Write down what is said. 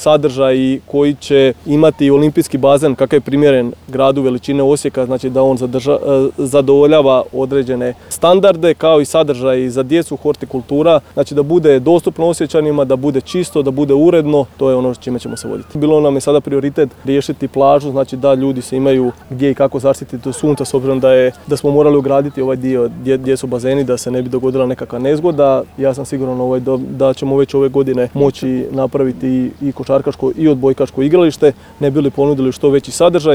sadržaj koji će imati olimpijski bazen kakav je primjeren gradu veličine Osijeka, znači da on zadovoljava određene standarde, kao i sadržaj za djecu, hortikultura, znači da bude dostupno Osječanima, da bude čisto, da bude uredno, to je ono s čime ćemo se voditi. Bilo nam je sada prioritet riješiti plažu, znači da ljudi se imaju gdje i kako zaštititi od sunca, s obzirom da smo morali ugraditi ovaj dio gdje su bazeni, da se ne bi dogodila nekakva nezgoda. Ja sam siguran da ćemo već ove godine moći napraviti i košarkaško i odbojkaško igralište, ne bi li ponudili što veći sadržaj.